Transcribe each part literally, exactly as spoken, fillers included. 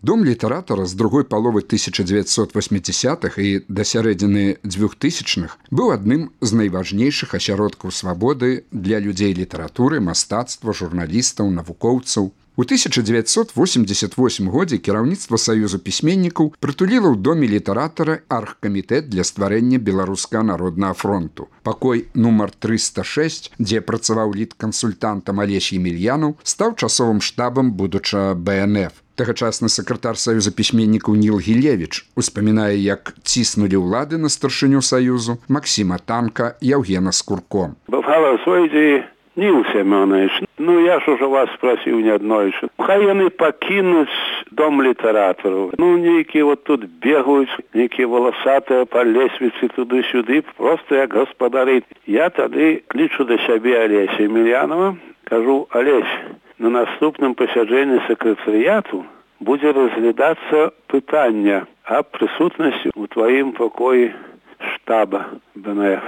Дом літаратара з другой паловы тысяча дзевяцьсот васьмідзясятых і да сярэдзіны дзвюхтысячных быў адным з найважнейшых асяродкаў свабоды для людзей літаратуры, мастацтва, журналістаў, навукоўцаў. У тысяча дзевяцьсот восемьдесят восьмым годзе кіраўніцтва Саюзу пісьменнікаў прытуліла ў доме літаратара аргкамітэт для стварэння Беларускага народнага фронту. Пакой нумар трыста шэсць, дзе працаваў літкансультантам Алесь Емельянаў, стаў часовым штабам будучага бэ эн эф. Тагачасны сакратар Саюза пісьменнікаў Ніл Гілевіч успамінае, як ціснулі ўлады на старшыню Саюзу Максіма Танка і Яўгена Скурко. Бывала свойдзе Ніл Семёнович, ну я ж уже вас спросіў неаднойчы. Хай яны пакінуць дом літаратараў. Ну нейкія вот тут бегаюць, нейкія валасатыя па лесвіцы туды-сюды, просто як гаспадары. Я тады клічу да сябе Алеся Емельянова, кажу: Алесь, на наступным пасяджэнні сакратарыяту будзе разглядацца пытанне аб прысутнасці ў тваім пакоі штаба бэ эн эф.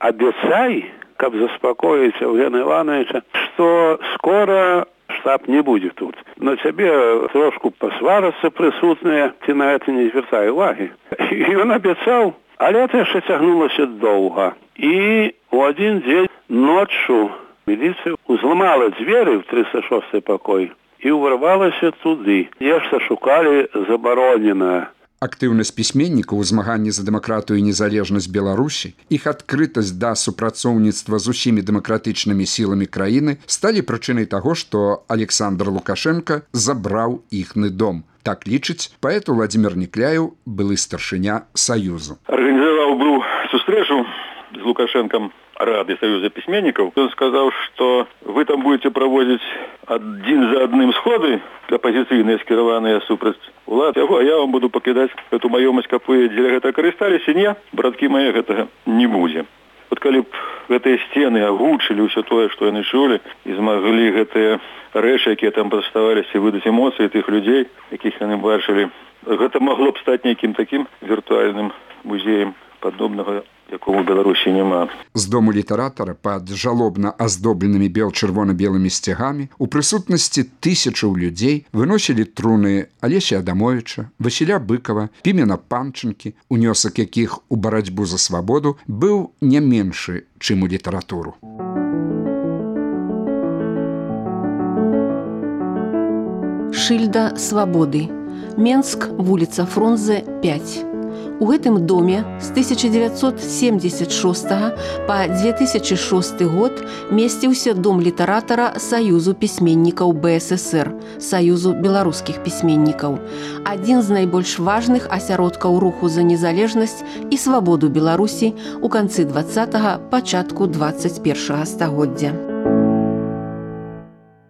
Абяцай, каб заспакоіць Яўгена Івановича, што скора штаб не будзе тут. На цябе трошку пасварацца прысутныя, ты на гэта не звяртай увагі. І ён абяцаў, але гэта яшчэ цягнулася доўга. І ў адзін дзень ноччу міліцыя узламала дзверы ў трыста шосты пакой і ўварвалася туды. Нешта шукалі забароненае. Актыўнасць пісьменнікаў у змаганні за дэмакратыю і незалежнасць Беларусі, іх адкрытасць да супрацоўніцтва з усімі дэмакратычнымі сіламі краіны сталі прычынай таго, што Александр Лукашенка забраў іхны дом. Так лічыць паэт Владзімір Некляеў, былы старшыня Саюзу. Арганізаваў быў сустрэчу з Лукашенком Рады Союза письменников. Он сказал, что вы там будете проводить один за одним сходы оппозиционные, скированные супраць улад, а я вам буду покидать эту маёмасць, каб вы дзеля гэта карысталіся. Не, браткі мае, гэтага не будзе. Вот калі б гэтыя сцены агучылі ўсё тое, што яны чулі, і змаглі гэтыя рэчы, якія там прадставаліся, выдаць эмоцыі тых людзей, якіх яны бачылі, гэта магло б стаць нейкім такім віртуальным музеем падобнага, якого ў Беларусі няма. З дому літаратара пад жалобна аздобленымі бел-чырвона-белымі сцягамі у прысутнасці тысячаў людзей выносілі труны Алеся Адамовича, Васіля Быкова, Пімена Панчынкі, унёсак якіх у барацьбу за свабоду быў не меншы, чым у літаратуру. Шыльда свабоды. Менск, вуліца Фрунзе, пяць. У гэтым доме з тысяча дзевяцьсот семьдесят шостага па две тысячи шосты год месціўся дом літаратара Саюзу пісьменнікаў бэ эс эс эр, Саюзу беларускіх пісьменнікаў, адзін з найбольш важных асяродкаў руху за незалежнасць і свабоду Беларусі ў канцы двадцатага, пачатку дваццаць першага стагоддзя.